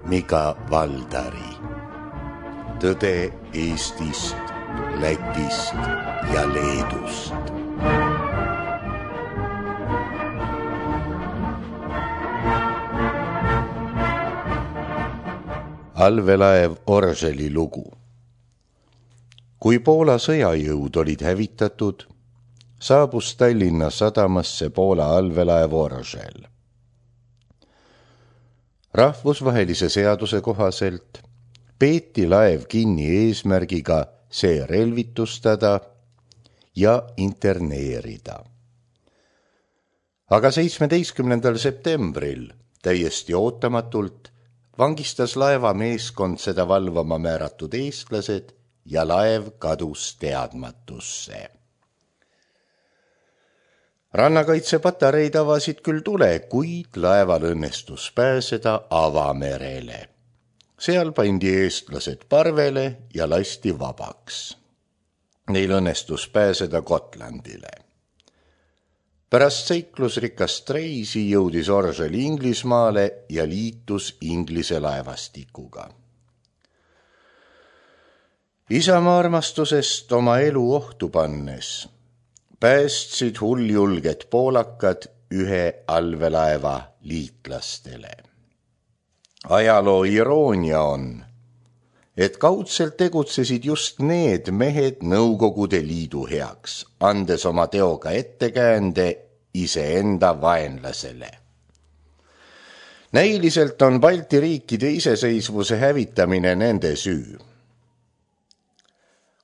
Mika Valdari. Tõde Eestist, Lätist ja Leedust. Allveelaev Orželi lugu. Kui Poola sõjajõud olid hävitatud, saabus Tallinna sadamasse Poola allveelaev Oržel. Rahvusvahelise seaduse kohaselt peeti laev kinni eesmärgiga see relvitustada ja interneerida. Aga 17. septembril täiesti ootamatult vangistas laeva meeskond seda valvama määratud eestlased ja laev kadus teadmatusse. Rannakaitsepatareid avasid küll tule, kuid laeval õnnestus pääseda avamerele. Seal pandi eestlased parvele ja lasti vabaks. Neil õnnestus pääseda Gotlandile. Pärast seiklusrikast reisi jõudis Oržel Inglismaale ja liitus Inglise laevastikuga. Isamaa armastusest oma elu ohtu pannes päästsid hulljulged poolakad ühe allveelaeva liitlastele. Ajaloo iroonia on, et kaudselt tegutsesid just need mehed Nõukogude Liidu heaks, andes oma teoga ettekäände iseenda vaenlasele. Näiliselt on Balti riikide iseseisvuse hävitamine nende süü.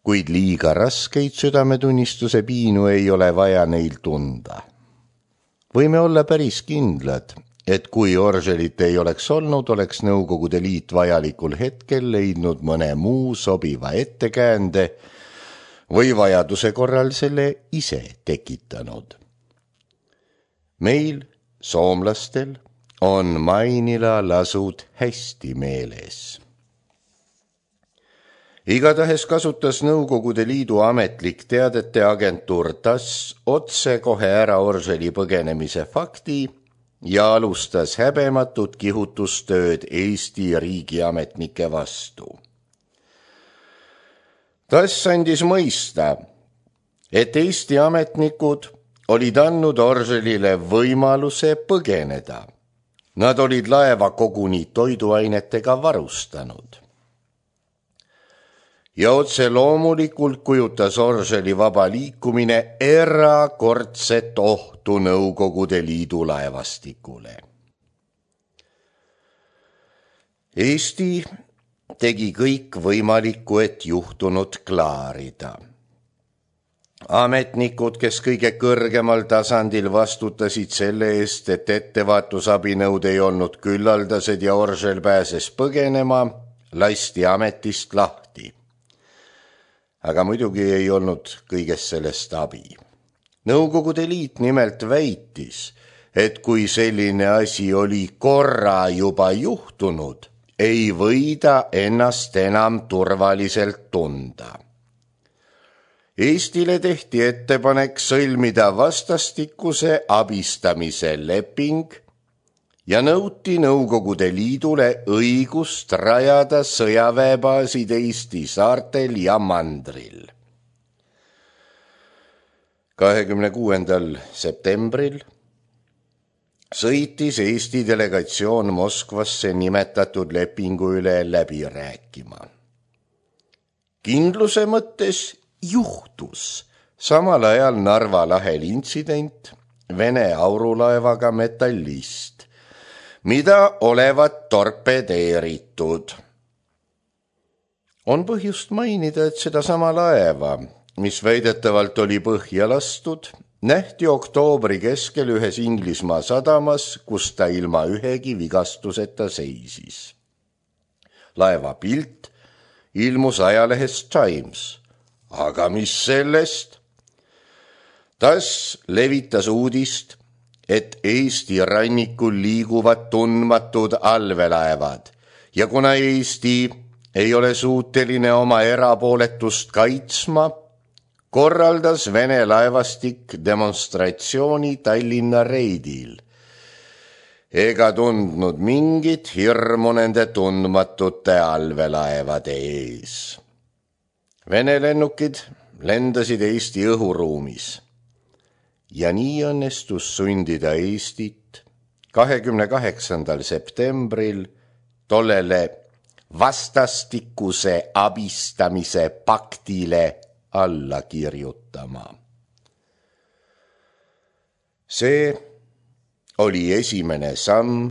Kuid liiga raskeid südametunnistuse piinu ei ole vaja neil tunda. Võime olla päris kindlad, et kui Orželit ei oleks olnud, oleks Nõukogude Liit vajalikul hetkel leidnud mõne muu sobiva ettekäände või vajaduse korral selle ise tekitanud. Meil, soomlastel, on Mainila lasud hästi meeles. Igatahes kasutas Nõukogude Liidu ametlik teadete agentuur TASS otsekohe ära Orželi põgenemise fakti ja alustas häbematut kihutustööd Eesti riigiametnike vastu. TASS andis mõista, et Eesti ametnikud olid andnud Orželile võimaluse põgeneda. Nad olid laeva koguni toiduainetega varustanud. Ja otse loomulikult kujutas Orželi vaba liikumine erakordset ohtu Nõukogude Liidu laevastikule. Eesti tegi kõik võimalikku, et juhtunud klaarida. Ametnikud, kes kõige kõrgemal tasandil vastutasid selle eest, et ettevaatusabinõud ei olnud küllaldased ja Oržel pääses põgenema, lasti ametist lahti. Aga muidugi ei olnud kõigest sellest abi. Nõukogude Liit nimelt väitis, et kui selline asi oli korra juba juhtunud, ei võida ennast enam turvaliselt tunda. Eestile tehti ettepanek sõlmida vastastikuse abistamise leping ja nõuti Nõukogude Liidule õigust rajada sõjaväebaasid Eesti saartel ja mandril. 26. septembril sõitis Eesti delegatsioon Moskvasse nimetatud lepingu üle läbi rääkima. Kindluse mõttes juhtus samal ajal Narva lahel intsident Vene aurulaevaga Metallist, mida olevat torpedeeritud. On põhjust mainida, et seda sama laeva, mis väidetavalt oli põhja lastud, nähti oktoobri keskel ühes Inglismaa sadamas, kus ta ilma ühegi vigastuseta seisis. Laeva pilt ilmus ajalehes Times, aga mis sellest? TASS levitas uudist, et Eesti rannikul liiguvad tundmatud allveelaevad ja kuna Eesti ei ole suuteline oma erapooletust kaitsma, korraldas Vene laevastik demonstratsiooni Tallinna reidil ega tundnud mingit hirmu nende tundmatute allveelaevade ees. Vene lennukid lendasid Eesti õhuruumis ja nii õnnestus sundida Eestit 28. septembril tollele vastastikuse abistamise paktile alla kirjutama. See oli esimene samm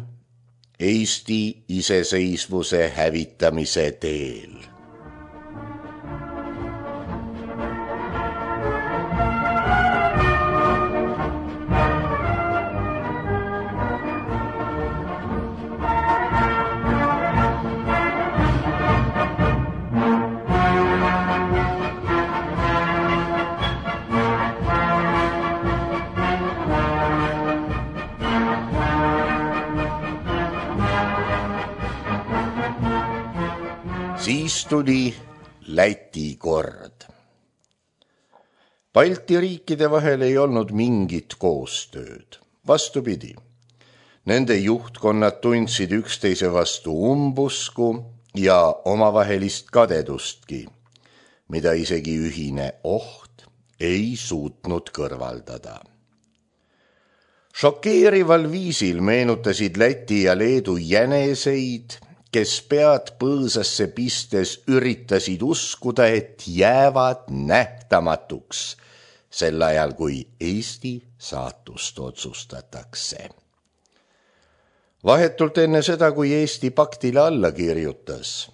Eesti iseseisvuse hävitamise teel. Siis tuli Läti kord. Balti riikide vahel ei olnud mingit koostööd. Vastupidi, nende juhtkonnad tundsid üksteise vastu umbusku ja omavahelist kadedustki, mida isegi ühine oht ei suutnud kõrvaldada. Šokeerival viisil meenutasid Läti ja Leedu jäneseid, kes pead põõsasse pistes üritasid uskuda, et jäävad nähtamatuks sel ajal, kui Eesti saatust otsustatakse. Vahetult enne seda, kui Eesti paktile alla kirjutas,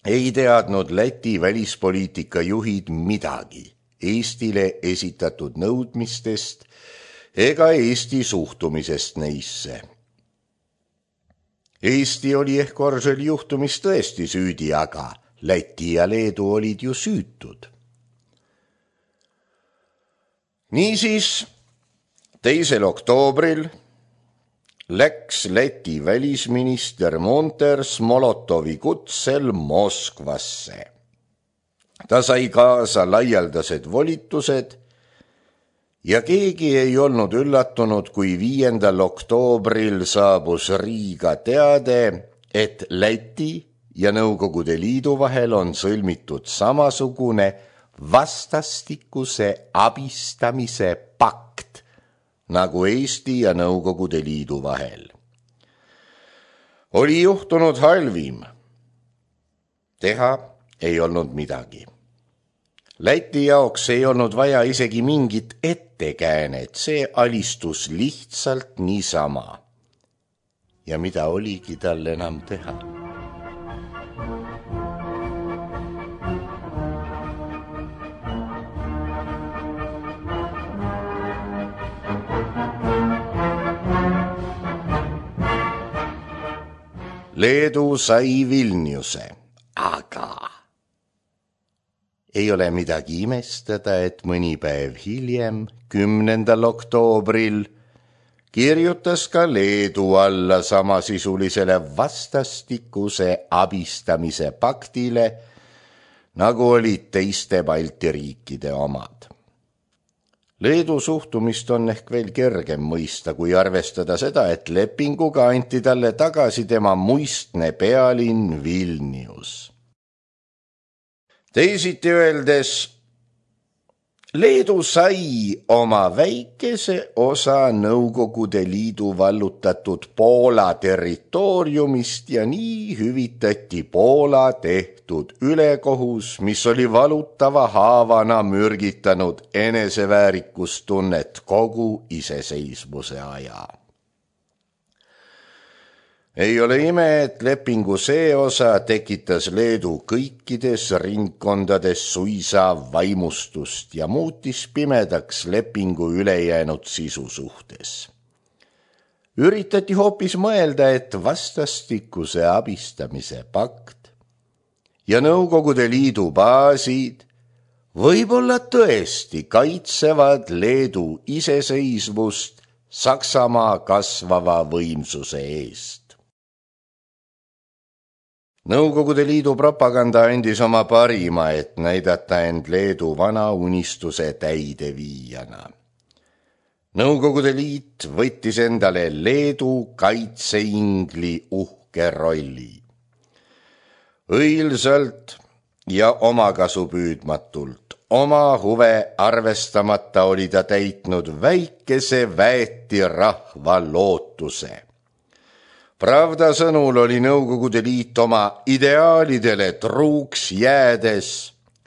ei teadnud Läti välispoliitika juhid midagi Eestile esitatud nõudmistest ega Eesti suhtumisest neisse. Eesti oli ehk Korseli juhtumis tõesti süüdi, aga Läti ja Leedu olid ju süütud. Niisiis, 2. oktoobril läks Läti välisminister Monters Molotovi kutsel Moskvasse. Ta sai kaasa laialdased volitused ja keegi ei olnud üllatunud, kui 5. oktoobril saabus Riiga teade, et Läti ja Nõukogude Liidu vahel on sõlmitud samasugune vastastikuse abistamise pakt nagu Eesti ja Nõukogude Liidu vahel. Oli juhtunud halvim. Teha ei olnud midagi. Läti jaoks ei olnud vaja isegi mingit ettekäänet, see alistus lihtsalt niisama. Ja mida oligi tal enam teha? Leedu sai Vilniuse, aga ei ole midagi imestada, et mõni päev hiljem, 10. oktoobril, kirjutas ka Leedu alla samasisulisele vastastikuse abistamise paktile, nagu olid teiste Balti riikide omad. Leedu suhtumist on ehk veel kergem mõista, kui arvestada seda, et lepinguga anti talle tagasi tema muistne pealinn Vilnius. Teisiti öeldes, Leedu sai oma väikese osa Nõukogude Liidu vallutatud Poola territooriumist ja nii hüvitati Poola tehtud ülekohus, mis oli valutava haavana mürgitanud eneseväärikustunnet kogu iseseisvuse aja. Ei ole ime, et lepingu see osa tekitas Leedu kõikides ringkondades suisa vaimustust ja muutis pimedaks lepingu ülejäänud sisu suhtes. Üritati hoopis mõelda, et vastastikuse abistamise pakt ja Nõukogude Liidu baasid võib-olla tõesti kaitsevad Leedu iseseisvust Saksamaa kasvava võimsuse eest. Nõukogude Liidu propaganda andis oma parima, et näidata end Leedu vana unistuse täideviijana. Nõukogude Liit võttis endale Leedu kaitseingli uhke rolli. Õilsalt ja omakasupüüdmatult, oma huve arvestamata oli ta täitnud väikese väeti rahva lootuse. Pravda sõnul oli Nõukogude Liit oma ideaalidele truuks jäädes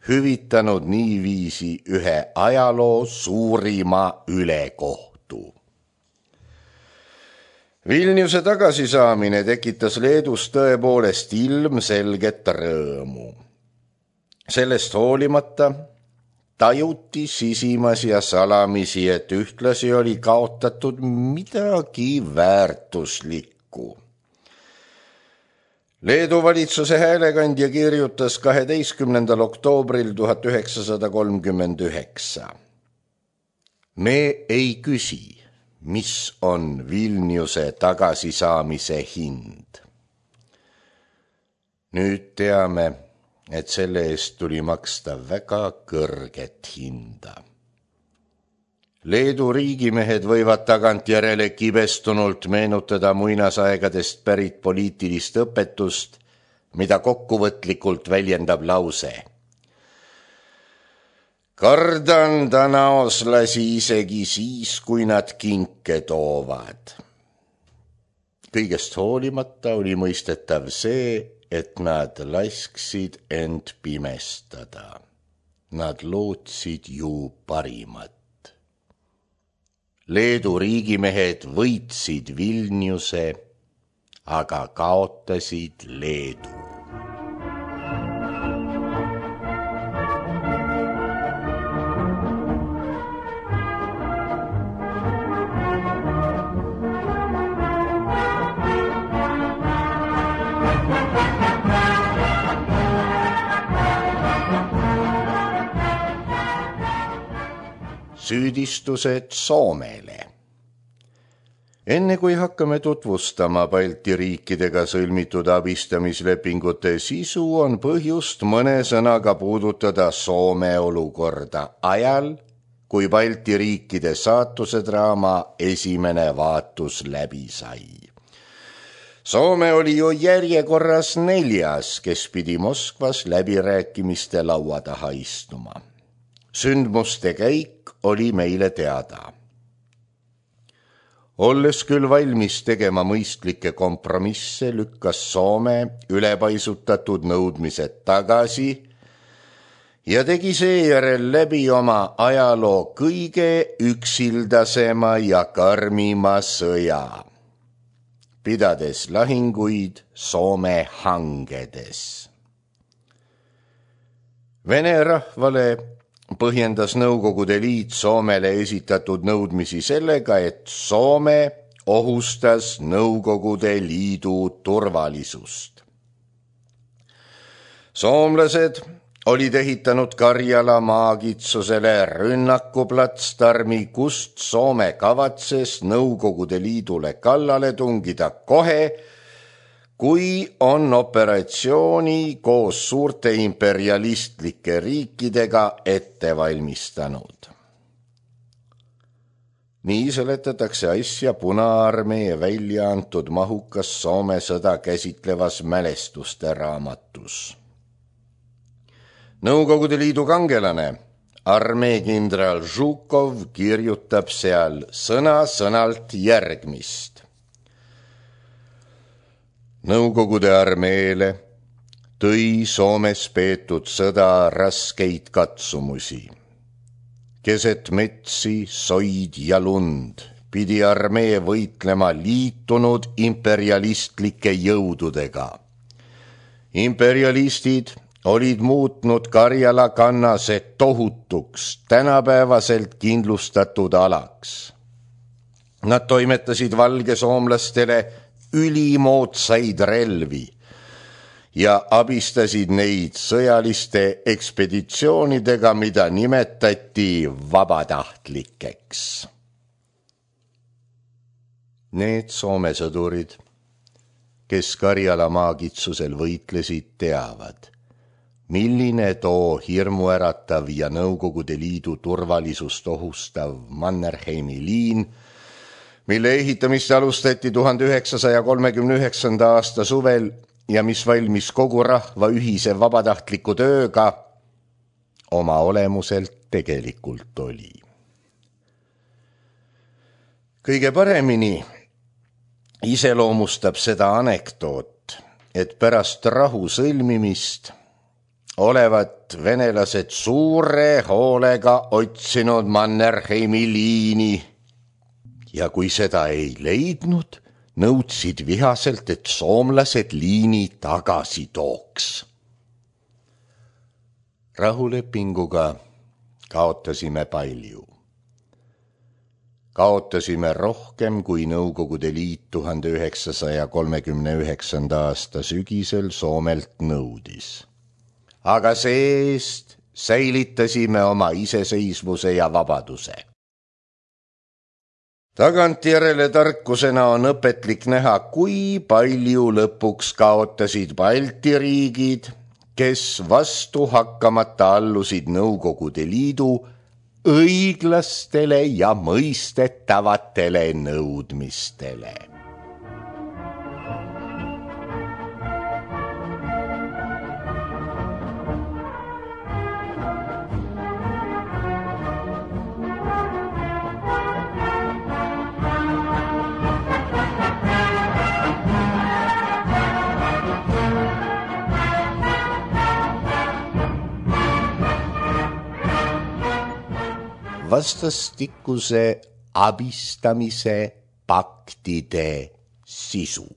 hüvitanud niiviisi ühe ajaloo suurima ülekohtu. Vilniuse tagasisaamine tekitas Leedus tõepoolest ilmselget rõõmu. Sellest hoolimata tajuti sisimas ja salamisi, et ühtlasi oli kaotatud midagi väärtuslikku. Leedu valitsuse häälekandja kirjutas 12. oktoobril 1939. Me ei küsi, mis on Vilniuse tagasisaamise hind. Nüüd teame, et selle eest tuli maksta väga kõrget hinda. Leedu riigimehed võivad tagantjärele kibestunult meenutada muinasaegadest pärit poliitilist õpetust, mida kokkuvõtlikult väljendab lause. Kardan tanaoslasi isegi siis, kui nad kinke toovad. Kõigest hoolimata oli mõistetav see, et nad lasksid end pimestada. Nad lootsid ju parimat. Leedu riigimehed võitsid Vilniuse, aga kaotasid Leedu. Süüdistused Soomele. Enne kui hakkame tutvustama Balti riikidega sõlmitud abistamislepingute sisu, on põhjust mõne sõnaga puudutada Soome olukorda ajal, kui Balti riikide saatusedraama esimene vaatus läbi sai. Soome oli ju järjekorras 4., kes pidi Moskvas läbirääkimiste laua taha istuma. Sündmuste käik oli meile teada. Olles küll valmis tegema mõistlikke kompromisse, lükkas Soome ülepaisutatud nõudmised tagasi ja tegi seejärel läbi oma ajaloo kõige üksildasema ja karmima sõja, pidades lahinguid Soome hangedes. Vene rahvale põhjendas Nõukogude Liit Soomele esitatud nõudmisi sellega, et Soome ohustas Nõukogude Liidu turvalisust. Soomlased olid ehitanud Karjala maakitsusele rünnakuplatsdarmi, kust Soome kavatses Nõukogude Liidule kallale tungida kohe, kui on operatsiooni koos suurte imperialistlike riikidega ette valmistanud. Nii seletatakse asja Punaarmee välja antud mahukas Soome sõda käsitlevas mälestuste raamatus. Nõukogude Liidu kangelane, armeekindral Žukov kirjutab seal sõna-sõnalt järgmist. Nõukogude armeele tõi Soomes peetud sõda raskeid katsumusi. Keset metsi, soid ja lund pidi armee võitlema liitunud imperialistlike jõududega. Imperialistid olid muutnud Karjala kannase tohutuks, tänapäevaselt kindlustatud alaks. Nad toimetasid valgesoomlastele ülimoodsaid relvi ja abistasid neid sõjaliste ekspeditsioonidega, mida nimetati vabatahtlikeks. Need Soome sõdurid, kes Karjala maakitsusel võitlesid, teavad, milline too hirmuäratav ja Nõukogude Liidu turvalisust ohustav Mannerheimi liin, mille ehitamist alustati 1939. aasta suvel ja mis valmis kogu rahva ühise vabatahtliku tööga, oma olemuselt tegelikult oli. Kõige paremini iseloomustab seda anekdoot, et pärast rahu sõlmimist olevat venelased suure hoolega otsinud Mannerheimi liini ja kui seda ei leidnud, nõudsid vihaselt, et soomlased liini tagasi tooks. Rahulepinguga kaotasime palju. Kaotasime rohkem kui Nõukogude Liit 1939. aasta sügisel Soomelt nõudis. Aga see-eest säilitasime oma iseseisvuse ja vabaduse. Tagantjärele tarkusena on õpetlik näha, kui palju lõpuks kaotasid Balti riigid, kes vastu hakkamata allusid Nõukogude Liidu õiglastele ja mõistetavatele nõudmistele. Vastastikuse abistamise paktide sisu.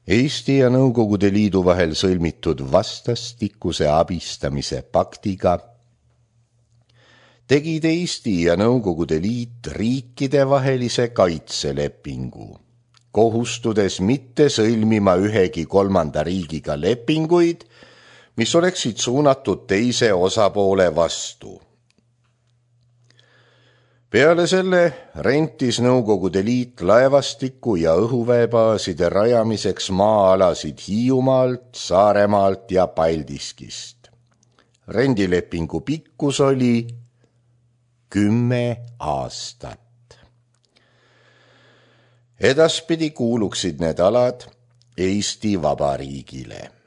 Eesti ja Nõukogude Liidu vahel sõlmitud vastastikuse abistamise paktiga tegid Eesti ja Nõukogude Liit riikidevahelise kaitselepingu, kohustudes mitte sõlmima ühegi kolmanda riigiga lepinguid, mis oleksid suunatud teise osapoole vastu. Peale selle rentis Nõukogude Liit laevastiku ja õhuväebaaside rajamiseks maa-alasid Hiiumaalt, Saaremaalt ja Paldiskist. Rendilepingu pikkus oli 10 aastat. Edaspidi kuuluksid need alad Eesti Vabariigile.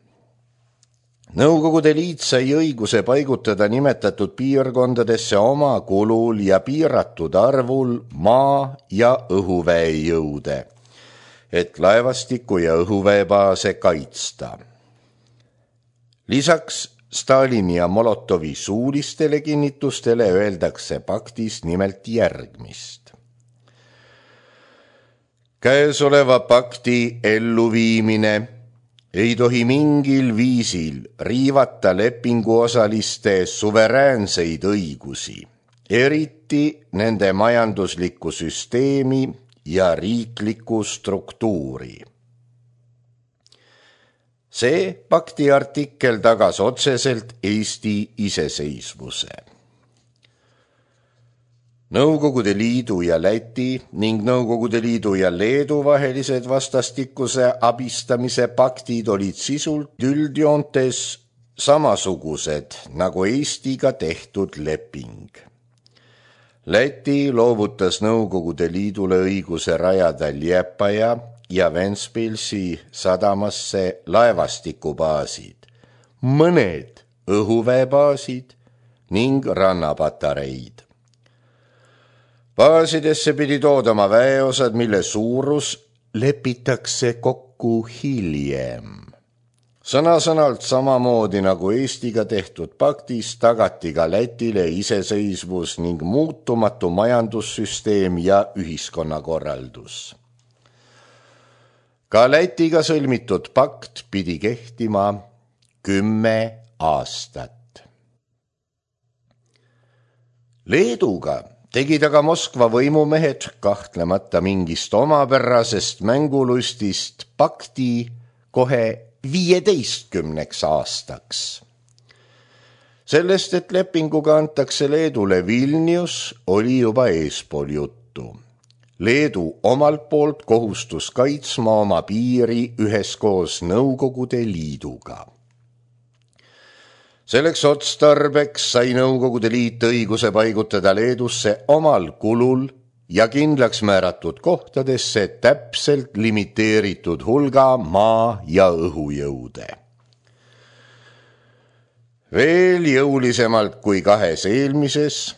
Nõukogude Liit sai õiguse paigutada nimetatud piirkondadesse oma kulul ja piiratud arvul maa- ja õhuväejõude, et laevastiku ja õhuväebaase kaitsta. Lisaks Stalini ja Molotovi suulistele kinnitustele öeldakse paktis nimelt järgmist. Käesoleva pakti elluviimine ei tohi mingil viisil riivata lepinguosaliste suveräänseid õigusi, eriti nende majanduslikku süsteemi ja riiklikku struktuuri. See pakti artikkel tagas otseselt Eesti iseseisvuse. Nõukogude Liidu ja Läti ning Nõukogude Liidu ja Leedu vahelised vastastikuse abistamise paktid olid sisult üldjoontes samasugused nagu Eestiga tehtud leping. Läti loovutas Nõukogude Liidule õiguse rajada Liepaja ja Ventspilsi sadamasse laevastikubaasid, mõned õhuväebaasid ning rannapatareid. Baasidesse pidi toodama väeosad, mille suurus lepitakse kokku hiljem. Sõna-sõnalt samamoodi nagu Eestiga tehtud paktis tagati ka Lätile iseseisvus ning muutumatu majandussüsteem ja ühiskonnakorraldus. Ka Lätiga sõlmitud pakt pidi kehtima 10 aastat. Leeduga tegid aga Moskva võimumehed kahtlemata mingist omapärasest mängulustist pakti kohe 15 aastaks. Sellest, et lepinguga antakse Leedule Vilnius, oli juba eespool juttu. Leedu omalt poolt kohustus kaitsma oma piiri üheskoos Nõukogude Liiduga. Selleks otstarbeks sai Nõukogude Liit õiguse paigutada Leedusse omal kulul ja kindlaks määratud kohtadesse täpselt limiteeritud hulga maa- ja õhujõude. Veel jõulisemalt kui kahes eelmises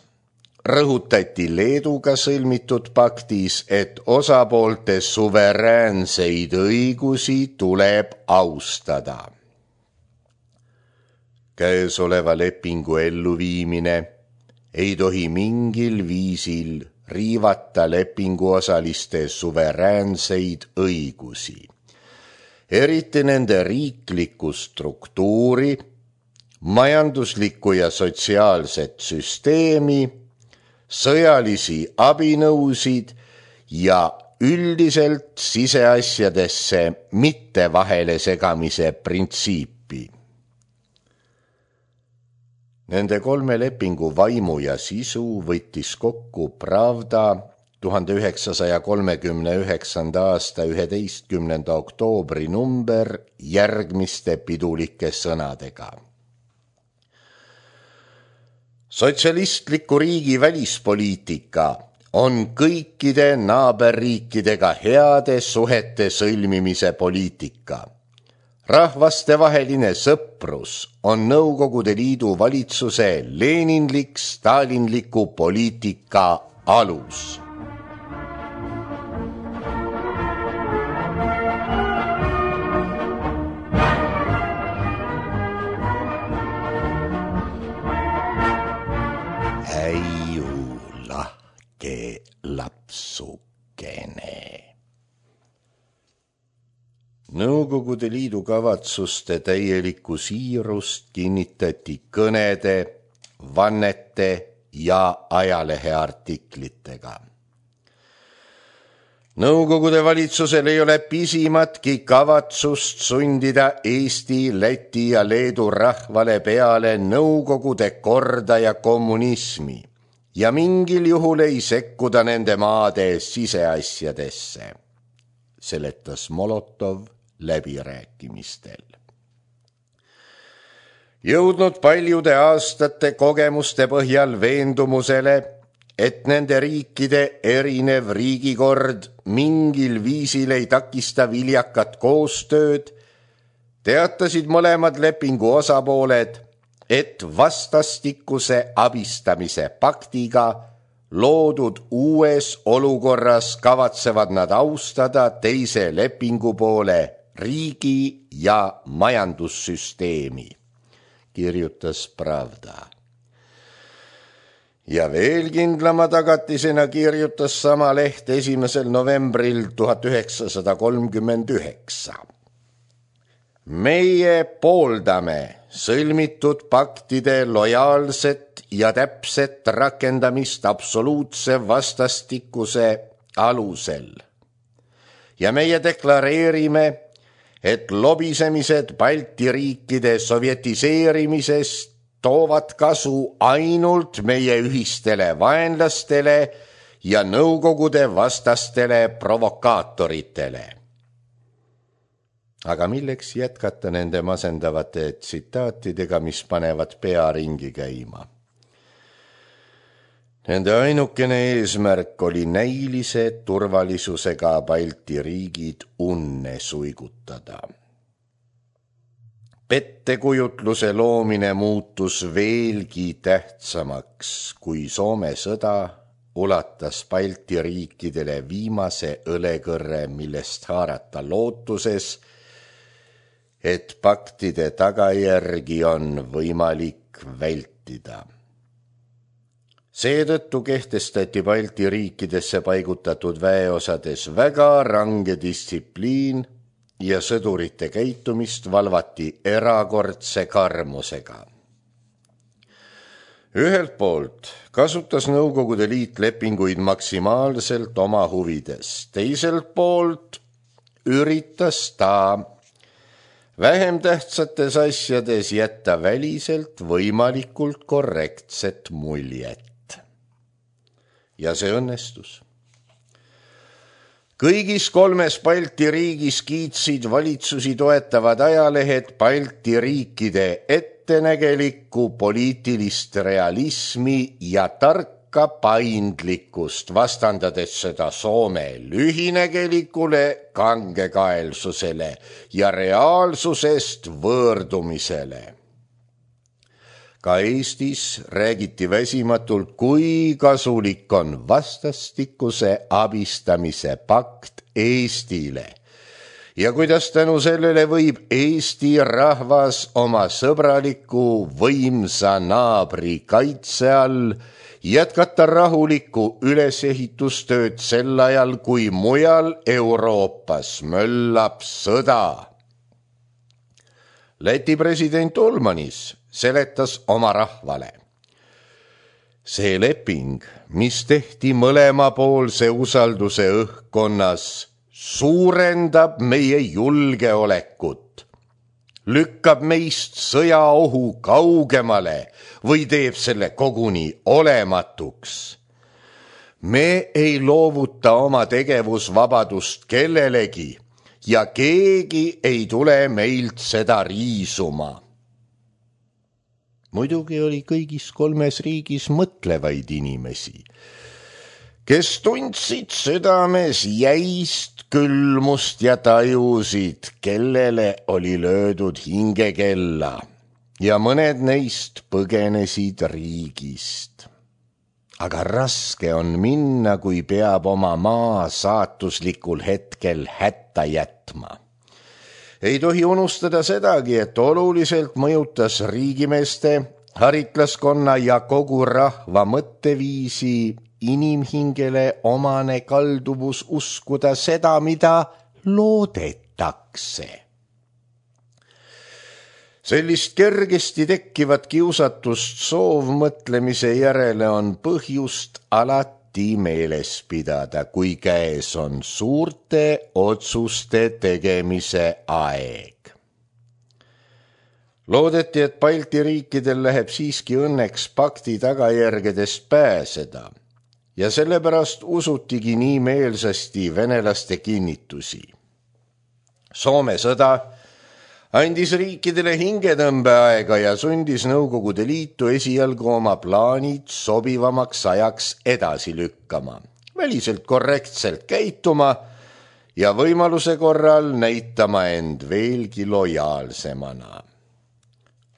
rõhutati Leeduga sõlmitud paktis, et osapoolte suveräänseid õigusi tuleb austada. Käesoleva lepingu elluviimine ei tohi mingil viisil riivata lepinguosaliste suveräänseid õigusi, eriti nende riiklikku struktuuri, majanduslikku ja sotsiaalset süsteemi, sõjalisi abinõusid ja üldiselt siseasjadesse mitte vahele segamise printsiipi. Nende 3 lepingu vaimu ja sisu võttis kokku Pravda 1939. aasta 11. oktoobri number järgmiste pidulike sõnadega. Sotsialistliku riigi välispoliitika on kõikide naaberriikidega heade suhete sõlmimise poliitika. Rahvastevaheline sõprus on Nõukogude Liidu valitsuse leninlik-stalinliku poliitika alus. Äiu lahke lapsukene. Nõukogude Liidu kavatsuste täielikku siirust kinnitati kõnede, vannete ja ajaleheartiklitega. Nõukogude valitsusel ei ole pisimatki kavatsust sundida Eesti, Läti ja Leedu rahvale peale Nõukogude korda ja kommunismi ja mingil juhul ei sekkuda nende maade siseasjadesse, seletas Molotov läbirääkimistel. Jõudnud paljude aastate kogemuste põhjal veendumusele, et nende riikide erinev riigikord mingil viisil ei takista viljakat koostööd, teatasid mõlemad lepingu osapooled, et vastastikuse abistamise paktiga loodud uues olukorras kavatsevad nad austada teise lepingupoole riigi ja majandussüsteemi, kirjutas Pravda. Ja veel kindlama tagatisena kirjutas sama leht 1. novembril 1939. Meie pooldame sõlmitud paktide lojaalset ja täpset rakendamist absoluutse vastastikuse alusel. Ja meie deklareerime, et lobisemised Balti riikide sovjetiseerimisest toovad kasu ainult meie ühistele vaenlastele ja Nõukogude vastastele provokaatoritele. Aga milleks jätkata nende masendavate tsitaatidega, mis panevad pea ringi käima? Nende ainukene eesmärk oli näilise turvalisusega Balti riigid unne suigutada. Pettekujutluse loomine muutus veelgi tähtsamaks, kui Soome sõda ulatas Balti riikidele viimase õlekõrre, millest haarata lootuses, et paktide tagajärgi on võimalik vältida. Seetõttu kehtestati Balti riikidesse paigutatud väeosades väga range distsipliin ja sõdurite käitumist valvati erakordse karmusega. Ühelt poolt kasutas Nõukogude Liit lepinguid maksimaalselt oma huvides, teiselt poolt üritas ta vähem tähtsates asjades jätta väliselt võimalikult korrektset muljet. Ja see õnnestus. Kõigis 3 Balti riigis kiitsid valitsusi toetavad ajalehed Balti riikide ettenägelikku poliitilist realismi ja tarka paindlikkust, vastandades seda Soome lühinägelikule kangekaelsusele ja reaalsusest võõrdumisele. Ka Eestis räägiti väsimatult, kui kasulik on vastastikuse abistamise pakt Eestile ja kuidas tänu sellele võib Eesti rahvas oma sõbraliku võimsa naabri kaitse all jätkata rahulikku ülesehitustööd sel ajal, kui mujal Euroopas möllab sõda. Läti president Ulmanis seletas oma rahvale. See leping, mis tehti mõlemapoolse usalduse õhkkonnas, suurendab meie julgeolekut, lükkab meist sõjaohu kaugemale või teeb selle koguni olematuks. Me ei loovuta oma tegevusvabadust kellelegi ja keegi ei tule meilt seda riisuma. Muidugi oli kõigis 3 riigis mõtlevaid inimesi, kes tundsid südames jäist külmust ja tajusid, kellele oli löödud hingekella ja mõned neist põgenesid riigist. Aga raske on minna, kui peab oma maa saatuslikul hetkel hätta jätma. Ei tohi unustada sedagi, et oluliselt mõjutas riigimeeste, haritlaskonna ja kogu rahva mõtteviisi inimhingele omane kalduvus uskuda seda, mida loodetakse. Sellist kergesti tekkivat kiusatust soovmõtlemise järele on põhjust alati meeles pidada, kui käes on suurte otsuste tegemise aeg. Loodeti, et Balti riikidel läheb siiski õnneks pakti tagajärgedest pääseda ja sellepärast usutigi nii meelsasti venelaste kinnitusi. Soome sõda andis riikidele hingetõmbeaega ja sundis Nõukogude Liitu esialgu oma plaanid sobivamaks ajaks edasi lükkama, väliselt korrektselt käituma ja võimaluse korral näitama end veelgi lojaalsemana.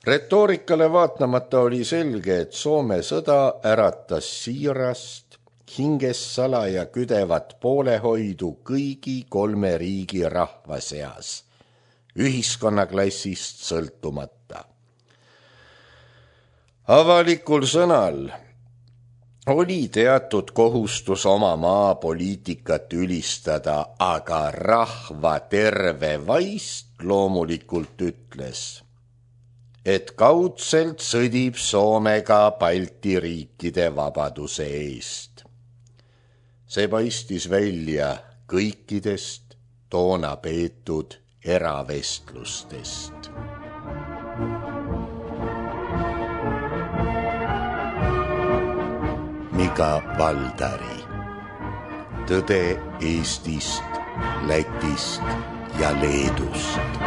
Retoorikale vaatamata oli selge, et Soome sõda äratas siirast, hinges salaja küdevat poolehoidu kõigi 3 riigi rahva seas, ühiskonnaklassist sõltumata. Avalikul sõnal oli teatud kohustus oma maa poliitikat ülistada, aga rahva terve vaist loomulikult ütles, et kaudselt sõdib Soomega Balti riikide vabaduse eest. See paistis välja kõikidest toona peetud eravestlustest. Mika Valdari. Tõde Eestist, Lätist ja Leedust.